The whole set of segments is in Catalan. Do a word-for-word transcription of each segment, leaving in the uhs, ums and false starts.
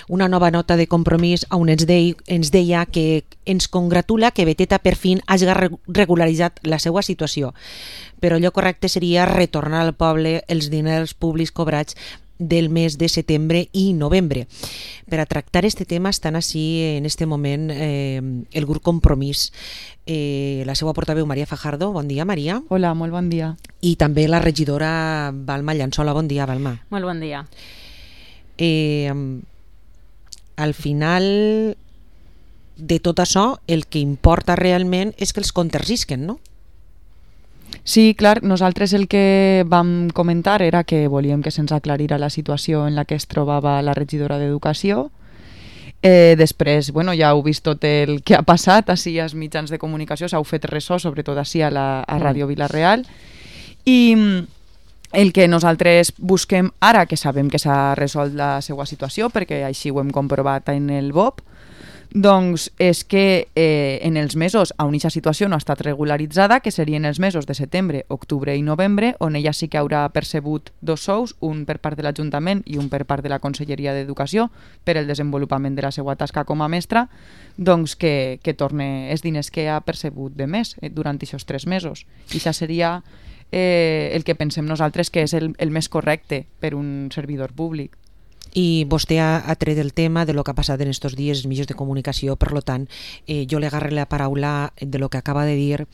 una nova nota de compromís on ens, de, ens deia que ens congratula que Beteta per fin hagi regularitzat la seva situació, però allò correcte seria retornar al poble els diners públics cobrats del mes de setembre i novembre. Per a tractar este tema estan així en este moment eh, el grup Compromís, eh, la seva portaveu Maria Fajardo. Bon dia, Maria. Hola, molt bon dia. I també la regidora Balma Llançola. Bon dia, Balma. Molt bon dia. Eh, al final de tot això, el que importa realment és que els comptes risquen, no? Sí, clar, nosaltres el que vam comentar era que volíem que se'ns aclarira la situació en la que es trobava la regidora d'Educació. Eh, després, bueno, ja heu vist tot el que ha passat així als mitjans de comunicació, s'heu fet ressò, sobretot així a, la, a Ràdio Vila-real. I el que nosaltres busquem ara, que sabem que s'ha resolt la seva situació, perquè així ho hem comprovat en el B O P, doncs és que eh, en els mesos on aquesta situació no ha estat regularitzada, que serien els mesos de setembre, octubre i novembre, on ella sí que haurà percebut dos sous, un per part de l'Ajuntament i un per part de la Conselleria d'Educació, per el desenvolupament de la seva tasca com a mestra, doncs que, que torne els diners que ha percebut de més eh, durant aquests tres mesos. I això seria eh, el que pensem nosaltres que és el, el més correcte per un servidor públic. I vostè ha, ha tret el tema de lo que ha passat en estos dies els mitjans de comunicació, per lo tant, eh, jo le agarre la paraula de lo que acaba de dir.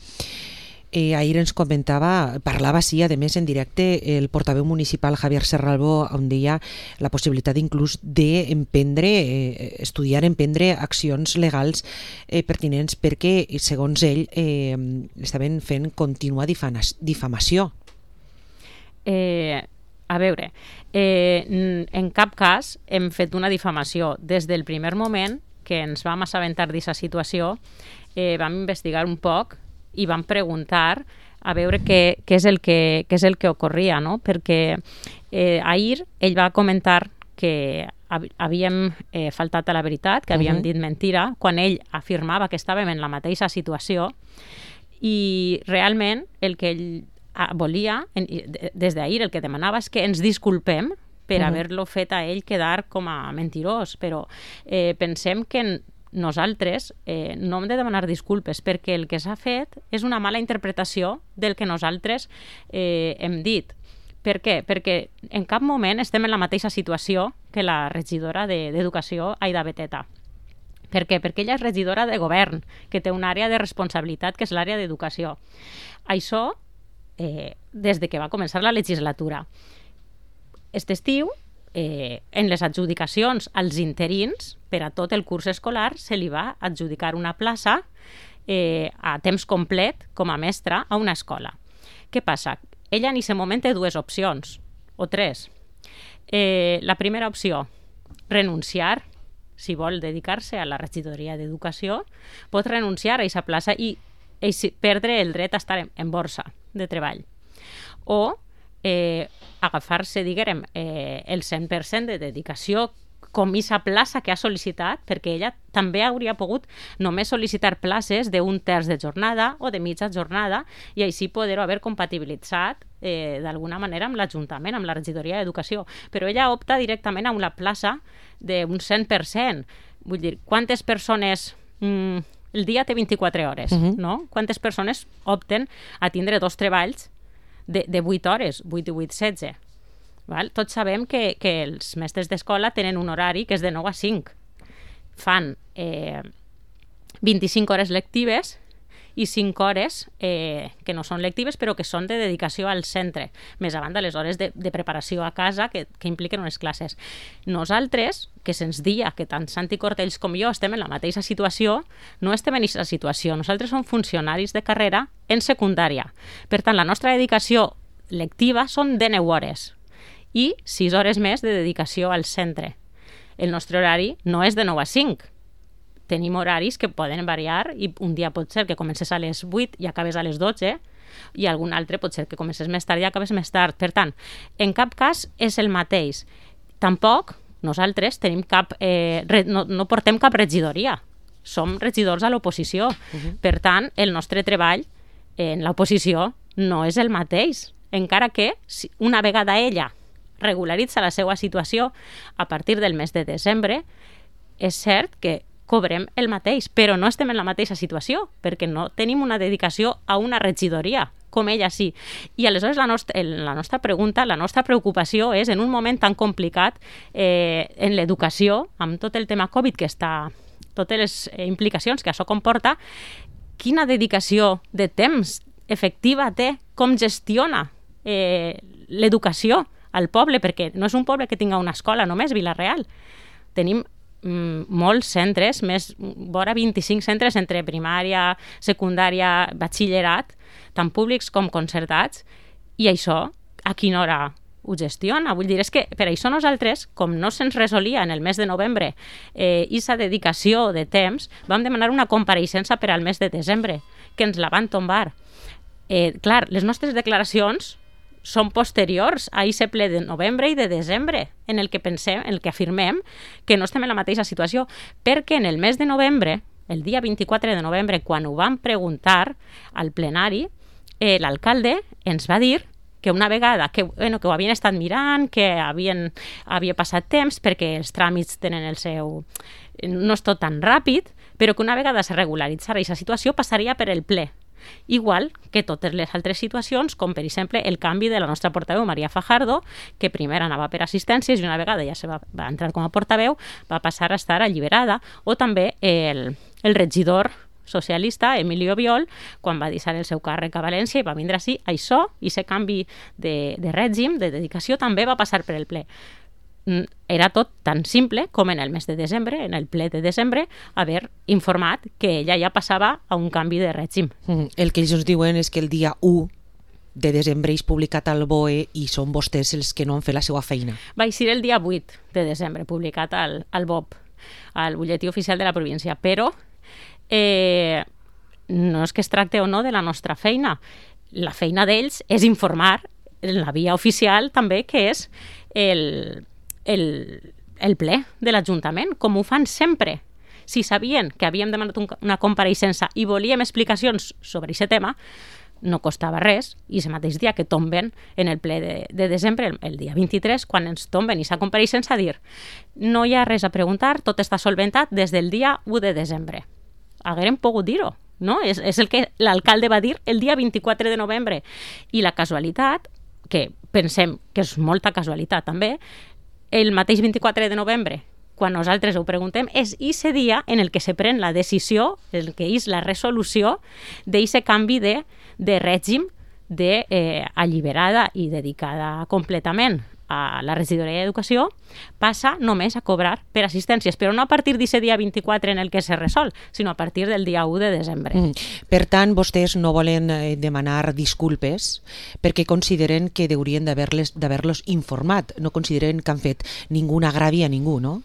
Eh, ahir ens comentava, parlava sí, a més en directe, el portaveu municipal Javier Serralbo, on deia la possibilitat inclús d'emprendre, eh, estudiar, emprendre accions legals eh, pertinents perquè, segons ell, eh, estaven fent contínua difamació. Eh... A veure, eh, en cap cas hem fet una difamació. Des del primer moment que ens vam assabentar d'aquesta situació, eh, vam investigar un poc i vam preguntar a veure què, què, és, el que, què és el que ocorria, no? Perquè eh, ahir ell va comentar que havíem eh, faltat a la veritat, que havíem uh-huh. dit mentira, quan ell afirmava que estàvem en la mateixa situació, i realment el que ell volia, des d'ahir el que demanava és que ens disculpem per uh-huh. haver-lo fet a ell quedar com a mentirós, però eh, pensem que nosaltres eh, no hem de demanar disculpes perquè el que s'ha fet és una mala interpretació del que nosaltres eh, hem dit. Per què? Perquè en cap moment estem en la mateixa situació que la regidora d'Educació, Aida Beteta. Per què? Perquè ella és regidora de govern, que té una àrea de responsabilitat que és l'àrea d'educació. Això Eh, des de que va començar la legislatura. Aquest estiu, eh, en les adjudicacions als interins, per a tot el curs escolar, se li va adjudicar una plaça eh, a temps complet com a mestra a una escola. Què passa? Ella en aquest moment té dues opcions, o tres. Eh, la primera opció, renunciar, si vol dedicar-se a la regidoria d'Educació, pot renunciar a aquesta plaça i perdre el dret a estar en, en borsa de treball. O eh, agafar-se, diguem, eh, el cent per cent de dedicació com aquesta plaça que ha sol·licitat, perquè ella també hauria pogut només sol·licitar places d'un terç de jornada o de mitja jornada i així poder-ho haver compatibilitzat eh, d'alguna manera amb l'Ajuntament, amb la regidoria d'Educació. Però ella opta directament a una plaça d'un cent per cent. Vull dir, quantes persones... Mm, el dia té vint-i-quatre hores, uh-huh. no? Quantes persones opten a tindre dos treballs de, de vuit hores, vuit i vuit, setze? Val? Tots sabem que, que els mestres d'escola tenen un horari que és de nou a cinc. Fan eh, vint-i-cinc hores lectives i cinc hores eh, que no són lectives però que són de dedicació al centre, més a banda les hores de, de preparació a casa que, que impliquen unes classes. Nosaltres, que se'ns dia que tant Santi Cortells com jo estem en la mateixa situació, no estem en aquesta situació. Nosaltres som funcionaris de carrera en secundària. Per tant, la nostra dedicació lectiva són de nou hores i sis hores més de dedicació al centre. El nostre horari no és de nou a cinc. Tenim horaris que poden variar i un dia pot ser que comences a les vuit i acabes a les dotze i algun altre pot ser que comences més tard i acabes més tard. Per tant, en cap cas és el mateix. Tampoc nosaltres tenim cap, eh, re, no, no portem cap regidoria. Som regidors a l'oposició. Uh-huh. Per tant, el nostre treball en l'oposició no és el mateix. Encara que una vegada ella regularitza la seva situació a partir del mes de desembre, és cert que cobrem el mateix, però no estem en la mateixa situació, perquè no tenim una dedicació a una regidoria, com ella sí. I aleshores la nostra, la nostra pregunta, la nostra preocupació és, en un moment tan complicat eh, en l'educació, amb tot el tema Covid que està, totes les implicacions que això comporta, quina dedicació de temps efectiva té, com gestiona eh, l'educació al poble, perquè no és un poble que tinga una escola només, Vila-real. Tenim molts centres, més vora vint-i-cinc centres entre primària, secundària, batxillerat, tant públics com concertats, i això a quina hora ho gestiona? Vull dir, és que per això nosaltres, com no se'ns resolia en el mes de novembre eh, i sa dedicació de temps, vam demanar una compareixença per al mes de desembre, que ens la van tombar. Eh, clar, les nostres declaracions són posteriors a aquest ple de novembre i de desembre, en el que pensem, en el que afirmem que no estem en la mateixa situació, perquè en el mes de novembre, el dia vint-i-quatre de novembre, quan ho vam preguntar al plenari, eh, l'alcalde ens va dir que una vegada que, bueno, que ho havien estat mirant, que havien, havia passat temps perquè els tràmits tenen el seu... no és tot tan ràpid, però que una vegada se regularitzara aquesta situació passaria per el ple. Igual que totes les altres situacions, com per exemple el canvi de la nostra portaveu Maria Fajardo, que primer anava per assistències i una vegada ja se va, va entrar com a portaveu, va passar a estar alliberada, o també el, el regidor socialista Emilio Biol, quan va deixar el seu càrrec a València i va vindre així, això, i aquest canvi de, de règim, de dedicació, també va passar per el ple. Era tot tan simple com en el mes de desembre, en el ple de desembre, haver informat que ella ja passava a un canvi de règim. Mm, el que ells ens diuen és que el dia u de desembre és publicat al B O E i són vostès els que no han fet la seva feina. Va ser el dia vuit de desembre, publicat al, al B O P, al butlletí oficial de la província, però eh, no és que es tracte o no de la nostra feina. La feina d'ells és informar en la via oficial també, que és el... El, el ple de l'Ajuntament, com ho fan sempre. Si sabien que havíem demanat un, una compareixença i volíem explicacions sobre aquest tema, no costava res, i el mateix dia que tomben en el ple de, de desembre, el, el dia vint-i-tres, quan ens tomben aquesta compareixença, a dir no hi ha res a preguntar, tot està solventat des del dia u de desembre. Haguérem pogut dir-ho, no? És, és el que l'alcalde va dir el dia vint-i-quatre de novembre. I la casualitat, que pensem que és molta casualitat també, el mateix vint-i-quatre de novembre, quan nosaltres ho preguntem, és aquest dia en el que se pren la decisió, el que és la resolució d'aquest canvi de, de règim de, eh, alliberada i dedicada completament a la regidoria d'Educació, passa només a cobrar per assistències, però no a partir d'aquest dia vint-i-quatre en el que se resol, sinó a partir del dia u de desembre. Mm. Per tant, vostès no volen eh, demanar disculpes perquè consideren que haurien d'haver-los informat, no consideren que han fet ningú agravi a ningú, no?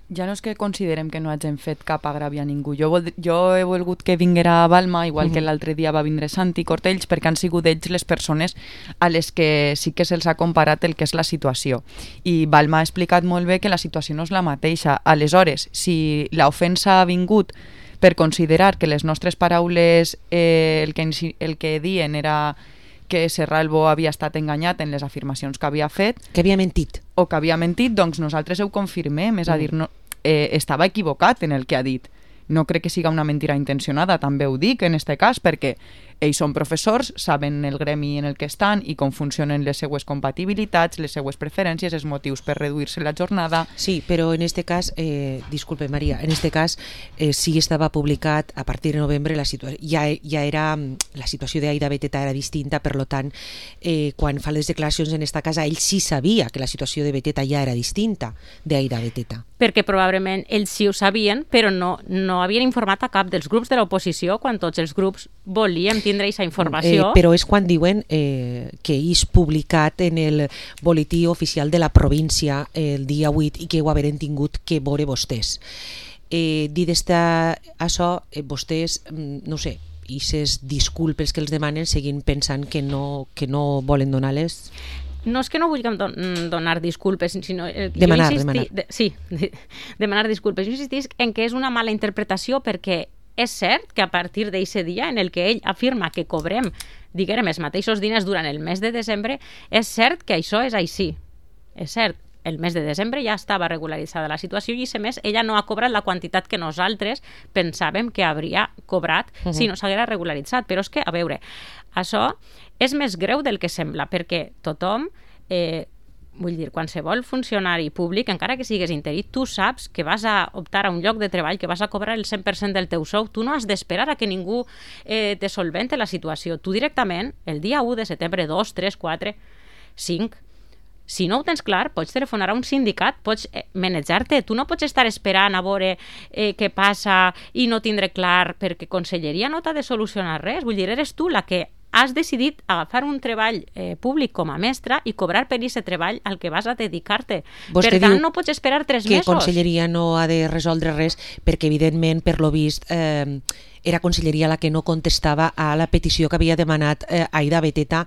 Ja no és que considerem que no hagin fet cap agravi a ningú. Jo, vol, jo he volgut que vinguera a Balma, igual uh-huh. que l'altre dia va vindre Santi Cortells, perquè han sigut ells les persones a les que sí que se'ls ha comparat el que és la situació. I Balma ha explicat molt bé que la situació no és la mateixa. Aleshores, si l'ofensa ha vingut per considerar que les nostres paraules, eh, el, que, el que dien era que Serralbo havia estat enganyat en les afirmacions que havia fet... Que havia mentit. O que havia mentit, doncs nosaltres ho confirmem, és a dir, no, eh, estava equivocat en el que ha dit. No crec que siga una mentira intencionada, també ho dic en aquest cas, perquè ells són professors, saben el gremi en el que estan i com funcionen les seues compatibilitats, les seues preferències, els motius per reduir-se la jornada. Sí, però en este cas, eh, disculpe Maria, en este cas eh, sí estava publicat a partir de novembre, la situació ja, ja era, la situació d'Aida Beteta era distinta, per lo tant, eh, quan fa les declaracions en esta casa, ell sí sabia que la situació de Beteta ja era distinta d'Aida Beteta. Perquè probablement ells sí ho sabien, però no, no havien informat a cap dels grups de l'oposició quan tots els grups volíem tindre aquesta informació. Eh, però és quan diuen eh, que és publicat en el boletí oficial de la província el dia vuit i que ho haveren tingut que veure vostès. Eh, dit esta, això, eh, vostès, no sé, i ses disculpes que els demanen seguint pensant que no, que no volen donar-les? No és que no vulguem don donar disculpes, sinó... Eh, demanar, insistí, demanar. De, sí, de, demanar disculpes. Jo insistisc en que és una mala interpretació perquè és cert que a partir d'aquest dia en el que ell afirma que cobrem, diguem, els mateixos diners durant el mes de desembre, és cert que això és així. és cert, el mes de desembre ja estava regularitzada la situació i, a més, ella no ha cobrat la quantitat que nosaltres pensàvem que hauria cobrat uh-huh. si no s'haguera regularitzat. Però és que, a veure, això és més greu del que sembla, perquè tothom, eh, vull dir, qualsevol funcionari públic, encara que sigues interí, tu saps que vas a optar a un lloc de treball, que vas a cobrar el cent per cent del teu sou, tu no has d'esperar a que ningú eh, te solvente la situació. Tu directament, el dia u de setembre, dos, tres, quatre, cinc, si no ho tens clar, pots telefonar a un sindicat, pots eh, manejar-te. Tu no pots estar esperant a veure eh, què passa i no tindre clar, perquè Conselleria no t'ha de solucionar res. Vull dir, eres tu la que has decidit agafar un treball eh, públic com a mestra i cobrar per aquest treball al que vas a dedicar-te. Vostè per tant, diu no pots esperar tres que mesos. Que Conselleria no ha de resoldre res perquè, evidentment, per lo vist, eh, era Conselleria la que no contestava a la petició que havia demanat eh, Aida Beteta,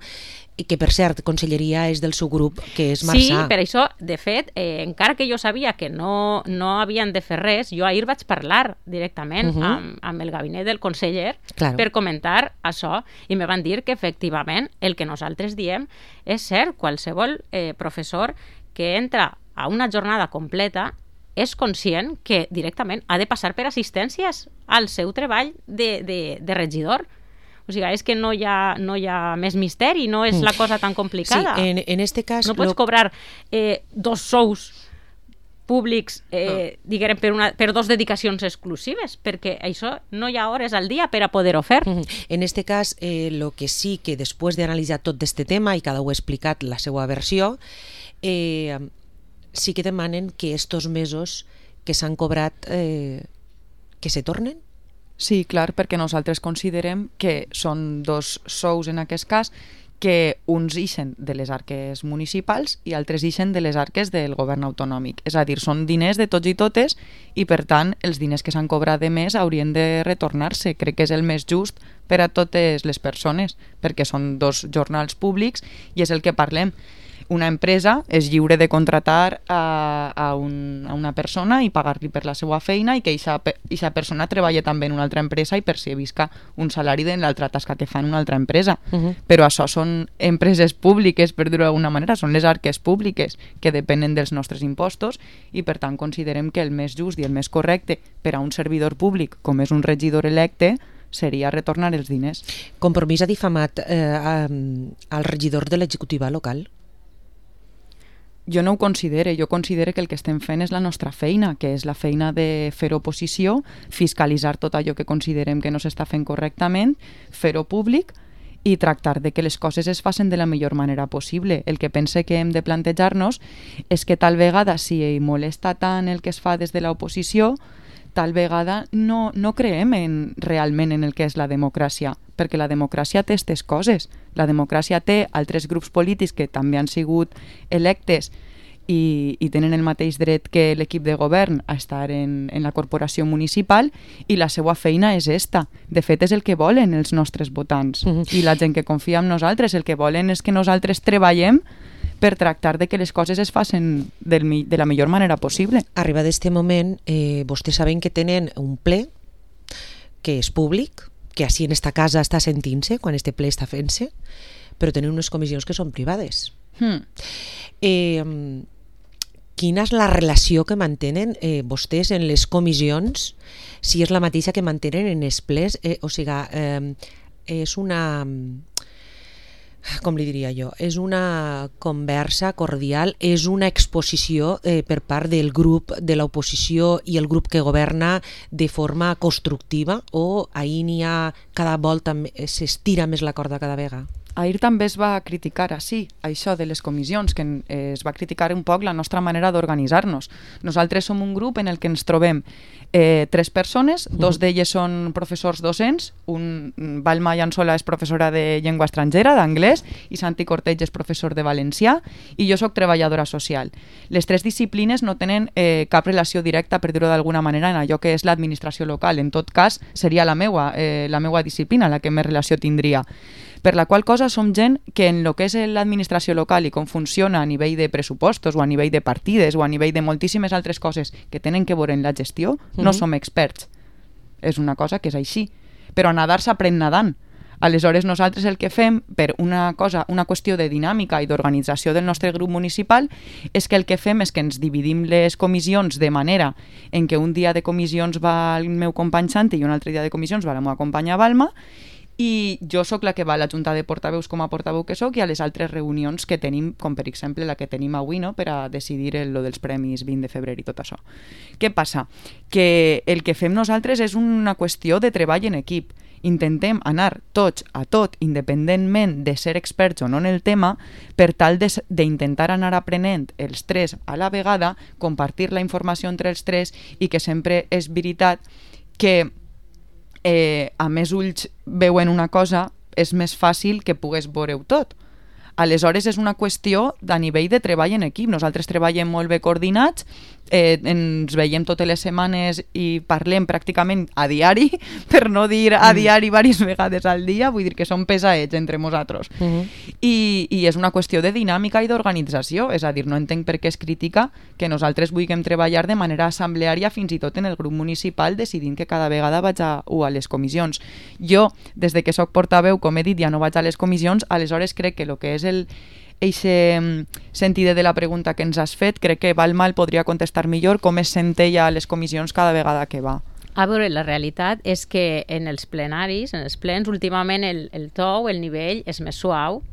i que, per cert, Conselleria és del seu grup, que és Marçà. Sí, per això, de fet, eh, encara que jo sabia que no, no havien de fer res, jo ahir vaig parlar directament uh-huh. amb, amb el gabinet del conseller claro. per comentar això, i me van dir que, efectivament, el que nosaltres diem és cert, qualsevol eh, professor que entra a una jornada completa és conscient que directament ha de passar per assistències al seu treball de, de, de regidor. O sigui, és que no hi ha, no hi ha més misteri, no és la cosa tan complicada. Sí, en, en este cas... No pots lo... cobrar eh, dos sous públics eh, no. diguem, per, una, per dos dedicacions exclusives, perquè això no hi ha hores al dia per a poder-ho fer. En este cas, eh, lo que sí que després d'analitzar tot este tema, i cada un ha explicat la seva versió, eh, sí que demanen que estos mesos que s'han cobrat eh, que se tornen. Sí, clar, perquè nosaltres considerem que són dos sous en aquest cas, que uns ixen de les arques municipals i altres ixen de les arques del govern autonòmic. És a dir, són diners de tots i totes i, per tant, els diners que s'han cobrat de més haurien de retornar-se. Crec que és el més just per a totes les persones, perquè són dos jornals públics i és el que parlem. Una empresa és lliure de contratar a, a, un, a una persona i pagar-li per la seva feina i que aquesta persona treballi també en una altra empresa i percebisca un salari de l'altra tasca que fa en una altra empresa. Uh-huh. Però això són empreses públiques, per dir-ho d'alguna manera, són les arques públiques que depenen dels nostres impostos i, per tant, considerem que el més just i el més correcte per a un servidor públic, com és un regidor electe, seria retornar els diners. Compromís ha difamat eh, al regidor de l'executiva local? Jo no ho considere, jo considero que el que estem fent és la nostra feina, que és la feina de fer oposició, fiscalitzar tot allò que considerem que no s'està fent correctament, fer-ho públic i tractar de que les coses es facin de la millor manera possible. El que pense que hem de plantejar-nos és que tal vegada, si molesta tant el que es fa des de l'oposició, tal vegada no, no creem en, realment en el que és la democràcia, perquè la democràcia té aquestes coses. La democràcia té altres grups polítics que també han sigut electes i, i tenen el mateix dret que l'equip de govern a estar en, en la corporació municipal i la seva feina és esta. De fet, és el que volen els nostres votants uh-huh. i la gent que confia en nosaltres. El que volen és que nosaltres treballem per tractar de que les coses es facin del, de la millor manera possible. Arriba d'este moment, eh, vostès saben que tenen un ple que és públic, que així en esta casa està sentint-se quan este ple està fent-se, però tenen unes comissions que són privades. Hmm. Eh, quina és la relació que mantenen eh, vostès en les comissions, si és la mateixa que mantenen en els plens? Eh, o sigui, eh, és una... com li diria jo, és una conversa cordial, és una exposició eh, per part del grup de l'oposició i el grup que governa de forma constructiva, o ahir n'hi ha cada volta s'estira més la corda cada vegada? Ahir també es va criticar així, això de les comissions, que es va criticar un poc la nostra manera d'organitzar-nos. Nosaltres som un grup en el que ens trobem eh, tres persones, dos d'elles són professors docents, un, Balma Llançola és professora de llengua estrangera, d'anglès, i Santi Corteig és professor de valencià, i jo sóc treballadora social. Les tres disciplines no tenen eh, cap relació directa, per dir-ho d'alguna manera, en allò que és l'administració local. En tot cas, seria la meua, eh, la meua disciplina la que més relació tindria. Per la qual cosa som gent que en el que és l'administració local i com funciona a nivell de pressupostos o a nivell de partides o a nivell de moltíssimes altres coses que tenen que veure en la gestió, no mm-hmm. som experts. És una cosa que és així. Però a nadar s'aprèn nadant. Aleshores, nosaltres el que fem, per una cosa, una qüestió de dinàmica i d'organització del nostre grup municipal, és que el que fem és que ens dividim les comissions de manera en què un dia de comissions va el meu company Santi i un altre dia de comissions va la meva companya Balma, i jo sóc la que va a la junta de portaveus com a portaveu que sóc i a les altres reunions que tenim, com per exemple la que tenim avui, no?, per a decidir el, lo dels premis vint de febrer i tot això. Què passa? Que el que fem nosaltres és una qüestió de treball en equip. Intentem anar tots a tot, independentment de ser experts o no en el tema, per tal d'intentar anar aprenent els tres a la vegada, compartir la informació entre els tres i que sempre és veritat que Eh, a més ulls veuen una cosa, és més fàcil que pugues veure-ho tot. Aleshores és una qüestió a nivell de treball en equip. Nosaltres treballem molt bé coordinats, eh, ens veiem totes les setmanes i parlem pràcticament a diari, per no dir a diari diverses vegades al dia, vull dir que som pesaets entre nosaltres. Uh -huh. I, I és una qüestió de dinàmica i d'organització, és a dir, no entenc per què es critica que nosaltres vulguem treballar de manera assembleària fins i tot en el grup municipal decidint que cada vegada vaig a, a les comissions. Jo, des de que sóc portaveu, com he dit, ja no vaig a les comissions, aleshores crec que el que és el eixe sentit de la pregunta que ens has fet, crec que Balma el podria contestar millor com es sent ella a les comissions cada vegada que va. A veure, la realitat és que en els plenaris, en els plens, últimament el, el to, el nivell és més suau,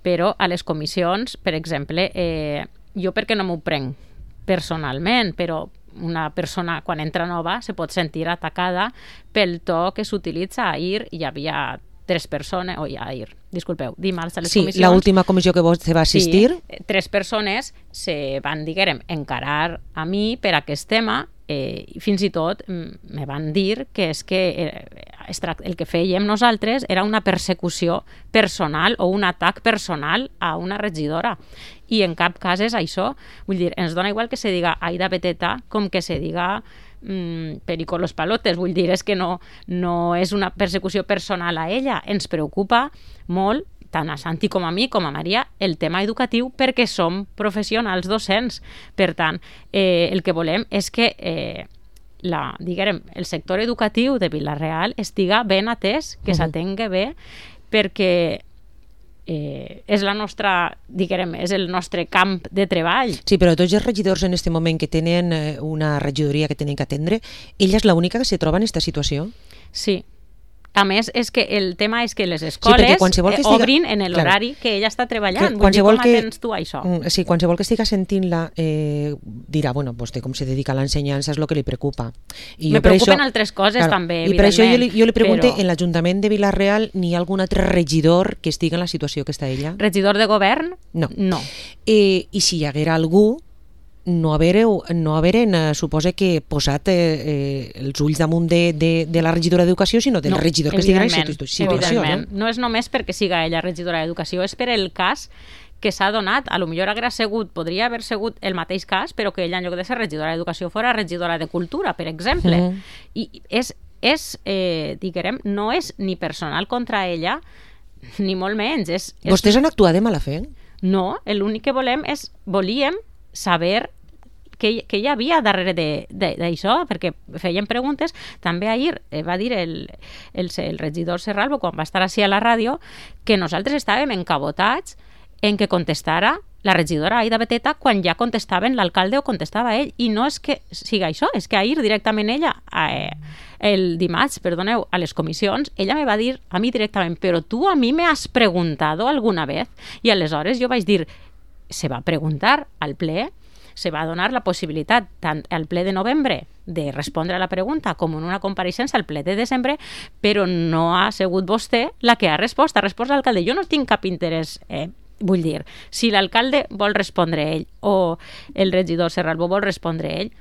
però a les comissions, per exemple, eh, jo perquè no m'ho prenc personalment, però una persona quan entra nova se pot sentir atacada pel to que s'utilitza. Ahir hi havia tres persones, o ja ahir, disculpeu, dimarts a les sí, comissions... Sí, l'última comissió que vostè va assistir... Sí, tres persones se van, diguem, encarar a mi per aquest tema, eh, i fins i tot me van dir que és que eh, el que fèiem nosaltres era una persecució personal o un atac personal a una regidora. I en cap cas és això. Vull dir, ens dona igual que se diga Aida Beteta com que se diga mmm, Perico Los Palotes. Vull dir, és que no, no és una persecució personal a ella. Ens preocupa molt, tant a Santi com a mi, com a Maria, el tema educatiu perquè som professionals docents. Per tant, eh, el que volem és que eh, la, diguem, el sector educatiu de Vila-real estiga ben atès, que uh-huh. s'atengui bé, perquè Eh, és la nostra, diguem, és el nostre camp de treball. Sí, però tots els regidors en aquest moment que tenen una regidoria que tenen que atendre, ella és l'única que se troba en aquesta situació? Sí. A més, és que el tema és que les escoles sí, que estiga... obrin en l'horari que ella està treballant. Vull dir, com que... atens tu això? Sí, qualsevol que estiga sentint-la eh, dirà, bueno, vostè com se dedica a l'ensenyança és el que li preocupa. I Me preocupen això... altres coses, claro, també, i per això jo li, jo li pregunto, però... en l'Ajuntament de Vila-real n'hi ha algun altre regidor que estigui en la situació que està ella? Regidor de govern? No. No. Eh, I si hi haguera algú, no haver, no haver eh, suposa que posat eh, eh, els ulls damunt de, de, de la regidora d'Educació, sinó del no, regidor que estigui en aquesta situació. Evidentment. No? no és només perquè siga ella regidora d'Educació, és per el cas que s'ha donat. A lo millor haguera sigut, podria haver sigut el mateix cas, però que ella en lloc de ser regidora d'Educació fora regidora de Cultura, per exemple. Mm. I és, és eh, diguem, no és ni personal contra ella, ni molt menys. És, és... Vostès han actuat de mala fe? No, l'únic que volem és, volíem saber què, què hi havia darrere d'això, perquè feien preguntes. També ahir eh, va dir el, el, el regidor Serralbo, quan va estar així a la ràdio, que nosaltres estàvem encabotats en que contestara la regidora Aida Beteta quan ja contestaven l'alcalde o contestava ell. I no és que siga això, és que ahir directament ella, eh, el dimarts, perdoneu, a les comissions, ella me va dir a mi directament, però tu a mi me has preguntado alguna vez? I aleshores jo vaig dir, se va preguntar al ple, se va donar la possibilitat tant al ple de novembre de respondre a la pregunta com en una compareixença al ple de desembre, però no ha sigut vostè la que ha respost, ha respost l'alcalde. Jo no tinc cap interès, eh, vull dir, si l'alcalde vol respondre ell o el regidor Serralbo vol respondre ell,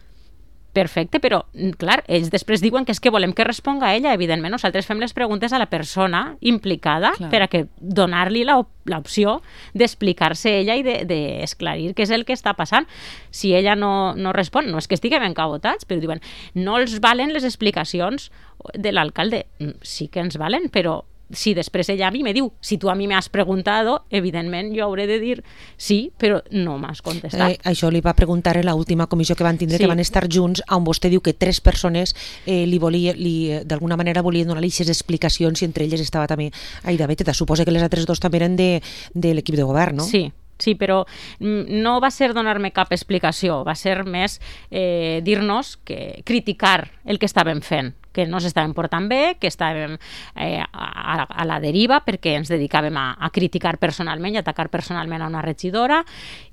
perfecte, però, clar, ells després diuen que és que volem que responga ella. Evidentment, nosaltres fem les preguntes a la persona implicada, clar, per a que donar-li l'opció d'explicar-se ella i d'esclarir de, què és el que està passant. Si ella no, no respon, no és que estiguem encabotats, però diuen, no els valen les explicacions de l'alcalde. Sí que ens valen, però si després ella a mi me diu, si tu a mi m'has preguntado, evidentment jo hauré de dir sí, però no m'has contestat. Eh, això li va preguntar en l'última comissió que van tindre, sí. que van estar junts, on vostè diu que tres persones eh, li volia, li, d'alguna manera volien donar-li aquestes explicacions i entre elles estava també Aida Beteta. Suposa que les altres dos també eren de, de l'equip de govern, no? Sí. Sí, però no va ser donar-me cap explicació, va ser més eh, dir-nos que criticar el que estàvem fent, que no s'estàvem portant bé, que estàvem eh, a, a la deriva perquè ens dedicàvem a, a criticar personalment i atacar personalment a una regidora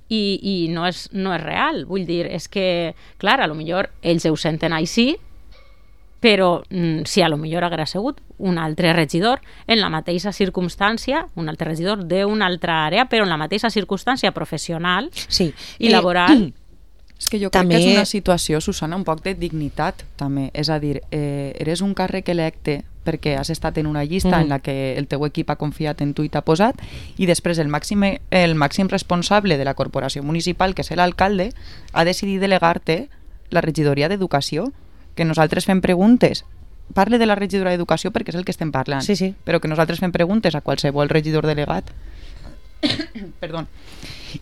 i, i no, és, no és real. Vull dir, és que, clar, a lo millor ells ho senten així, però mm, si a lo millor haguera sigut un altre regidor en la mateixa circumstància, un altre regidor d'una altra àrea, però en la mateixa circumstància professional sí. i laboral... Eh, és que jo també... crec que és una situació, Susana, un poc de dignitat, també. És a dir, eh, eres un càrrec electe perquè has estat en una llista mm. en la que el teu equip ha confiat en tu i t'ha posat, i després el màxim, el màxim responsable de la corporació municipal, que és l'alcalde, ha decidit delegar-te la regidoria d'Educació, que nosaltres fem preguntes, parle de la regidora d'Educació perquè és el que estem parlant, sí, sí. però que nosaltres fem preguntes a qualsevol regidor delegat perdó,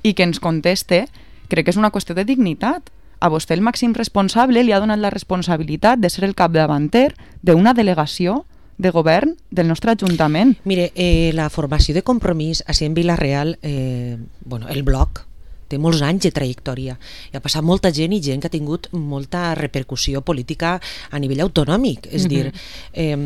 i que ens conteste, crec que és una qüestió de dignitat. A vostè el màxim responsable li ha donat la responsabilitat de ser el capdavanter d'una delegació de govern del nostre Ajuntament. Mire, eh, la formació de Compromís a en Vila-real, eh, bueno, el bloc té molts anys de trajectòria i ha passat molta gent i gent que ha tingut molta repercussió política a nivell autonòmic, és uh-huh. dir, eh,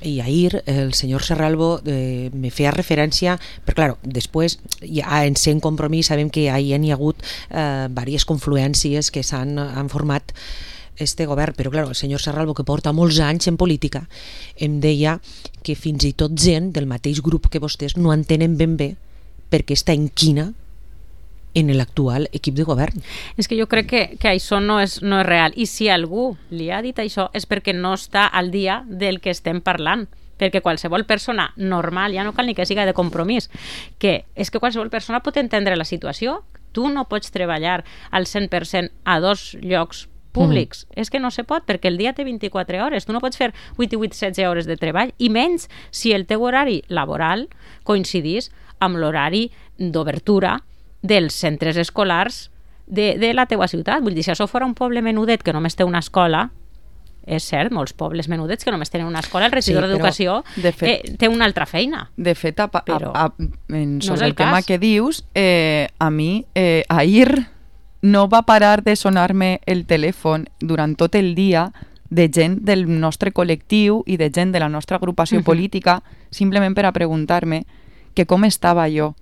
i ahir el senyor Serralbo eh, me feia referència, però clar, després ja en sent Compromís sabem que ahir hi ha hagut eh, diverses confluències que s'han han format este govern, però clar, el senyor Serralbo, que porta molts anys en política, em deia que fins i tot gent del mateix grup que vostès no entenen ben bé perquè està en quina en l'actual equip de govern. És que jo crec que, que això no és, no és real. I si algú li ha dit això és perquè no està al dia del que estem parlant. Perquè qualsevol persona normal, ja no cal ni que siga de Compromís, que és que qualsevol persona pot entendre la situació. Tu no pots treballar al cent per cent a dos llocs públics. Mm. És que no se pot, perquè el dia té vint-i-quatre hores. Tu no pots fer vuit i vuit, setze hores de treball, i menys si el teu horari laboral coincidís amb l'horari d'obertura dels centres escolars de, de la teua ciutat. Vull dir, si això fora un poble menudet que només té una escola, és cert, molts pobles menudets que només tenen una escola, el regidor sí, d'Educació de fet, eh, té una altra feina. De fet, a, a, a, en, sobre no el, el tema que dius, eh, a mi eh, ahir no va parar de sonar-me el telèfon durant tot el dia de gent del nostre col·lectiu i de gent de la nostra agrupació uh-huh. política, simplement per a preguntar-me que com estava jo,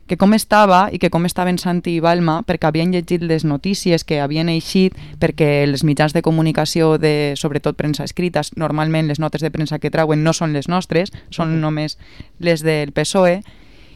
que com estava i que com estaven Santi i Balma, perquè havien llegit les notícies que havien eixit, perquè els mitjans de comunicació, de, sobretot premsa escrita, normalment les notes de premsa que trauen no són les nostres, són uh-huh. només les del P S O E,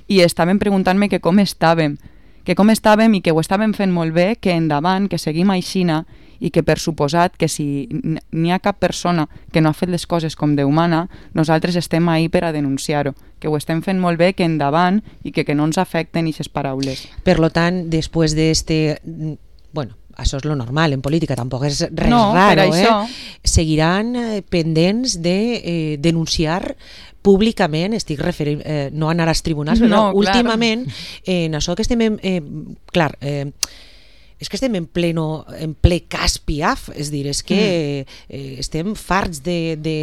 i estaven preguntant-me que com estàvem, que com estàvem i que ho estàvem fent molt bé, que endavant, que seguim aixina, i que per suposat que si n'hi ha cap persona que no ha fet les coses com Déu mana, nosaltres estem ahí per a denunciar-ho, que ho estem fent molt bé, que endavant i que, que no ens afecten aquestes paraules. Per lo tant, després d'este... Bueno, això és lo normal en política, tampoc és res no, raro, eh? Seguiran eh, pendents de eh, denunciar públicament, estic referint, eh, no anar als tribunals, però no, últimament, eh, en això que estem... Eh, clar, eh, és que estem en, pleno, en ple cas Piaf, és dir, és que mm. eh, estem farts de, de...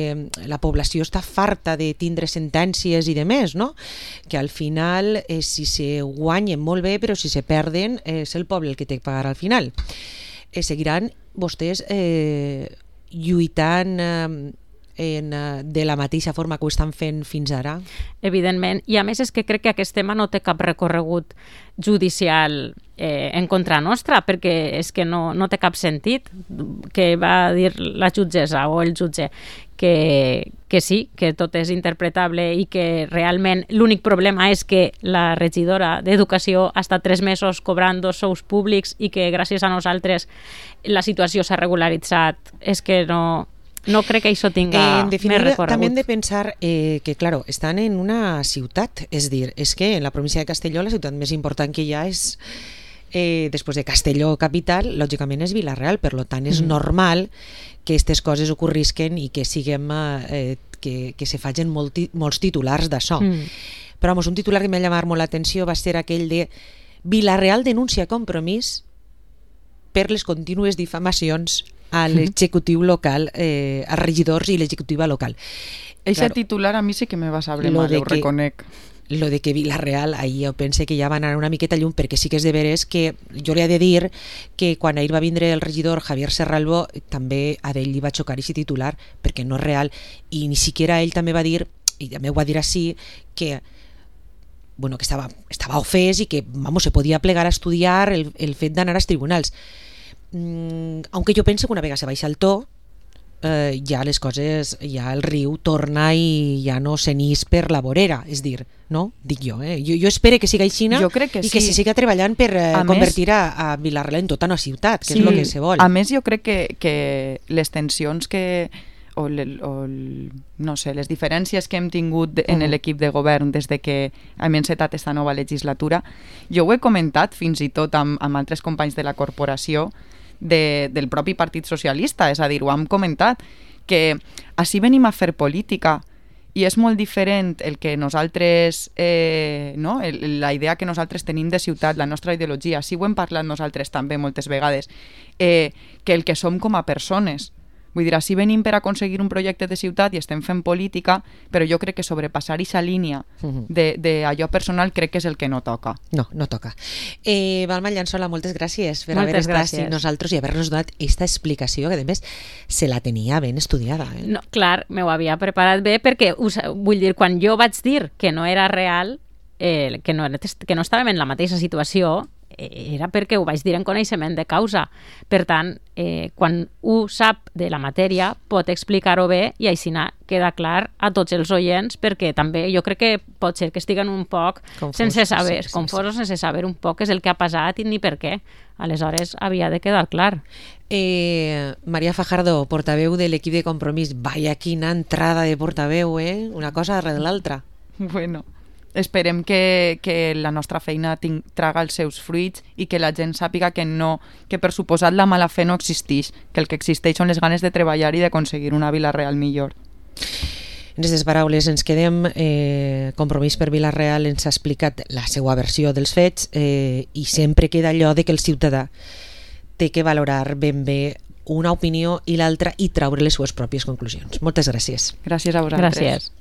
La població està farta de tindre sentències i de més, no? Que al final, eh, si se guanyen molt bé, però si se perden, eh, és el poble el que té que pagar al final. Eh, seguiran vostès eh, lluitant... Eh, En, de la mateixa forma que ho estan fent fins ara? Evidentment, i a més és que crec que aquest tema no té cap recorregut judicial eh, en contra nostra, perquè és que no, no té cap sentit que va dir la jutgessa o el jutge que, que sí, que tot és interpretable i que realment l'únic problema és que la regidora d'Educació ha estat tres mesos cobrant dos sous públics i que gràcies a nosaltres la situació s'ha regularitzat. És que no... No crec que això tinga eh, en més recorregut. També hem de pensar eh, que, claro, estan en una ciutat, és dir, és que en la província de Castelló la ciutat més important que hi ha és, eh, després de Castelló capital, lògicament és Vila-real, per tant és mm. normal que aquestes coses ocorrisquen i que siguem, eh, que, que se facin molt, molts titulars d'això. Mm. Però vamos, un titular que m'ha llamat molt l'atenció va ser aquell de Vilareal denuncia Compromís per les contínues difamacions a l'executiu local, eh, als regidors i l'executiva local. Eixe claro, titular a mi sí que me va saber mal, ho reconec. Lo de que Vilareal, ahir jo pense que ja van anar una miqueta llum, perquè sí que és de veres que jo li he de dir que quan ahir va vindre el regidor Javier Serralbo, també a ell li va xocar aquest titular, perquè no és real, i ni siquiera ell també va dir, i també ho va dir així, que bueno, que estava, estava ofès i que vamos, se podia plegar a estudiar el, el fet d'anar als tribunals. Mm, aunque jo penso que una vegada se baixa el to, eh, ja les coses, ja el riu torna i ja no s'enís per la vorera, és dir, no? Dic jo, eh? Jo, jo espero que siga aixina que i sí. que se siga treballant per eh, a convertir més, a, a Vilareal en tota una ciutat, que sí, és el que se vol. A més, jo crec que, que les tensions que o, le, o el, no sé, les diferències que hem tingut de, en uh -huh. l'equip de govern des de que hem encetat esta nova legislatura, jo ho he comentat fins i tot amb, amb altres companys de la corporació de, del propi Partit Socialista, és a dir, ho hem comentat, que així venim a fer política i és molt diferent el que nosaltres, eh, no? el, la idea que nosaltres tenim de ciutat, la nostra ideologia, així ho hem parlat nosaltres també moltes vegades, eh, que el que som com a persones. Vull dir, així venim per aconseguir un projecte de ciutat i estem fent política, però jo crec que sobrepassar aquesta línia d'allò personal crec que és el que no toca. No, no toca. Eh, Balma Llançola, moltes gràcies per moltes haver estat gràcies. amb nosaltres i haver-nos donat aquesta explicació, que a més se la tenia ben estudiada. Eh? No, clar, m'ho havia preparat bé perquè, us, vull dir, quan jo vaig dir que no era real, eh, que, no, que no estàvem en la mateixa situació, era perquè ho vaig dir en coneixement de causa. Per tant, eh, quan un sap de la matèria pot explicar-ho bé i així queda clar a tots els oients, perquè també jo crec que pot ser que estiguen un poc confosos, sense saber, sí, sí, confosos sí. sense saber un poc què és el que ha passat i ni per què. Aleshores havia de quedar clar. Eh, Maria Fajardo, portaveu de l'equip de Compromís, vaya quina entrada de portaveu, eh? Una cosa darrere l'altra. Bueno, esperem que, que la nostra feina ting, traga els seus fruits i que la gent sàpiga que no, que per suposat la mala fe no existeix, que el que existeix són les ganes de treballar i d'aconseguir una Vila-real millor. En aquestes paraules ens quedem. eh, Compromís per Vila-real ens ha explicat la seva versió dels fets, eh, i sempre queda allò de que el ciutadà té que valorar ben bé una opinió i l'altra i traure les seues pròpies conclusions. Moltes gràcies. Gràcies a vosaltres. Gràcies.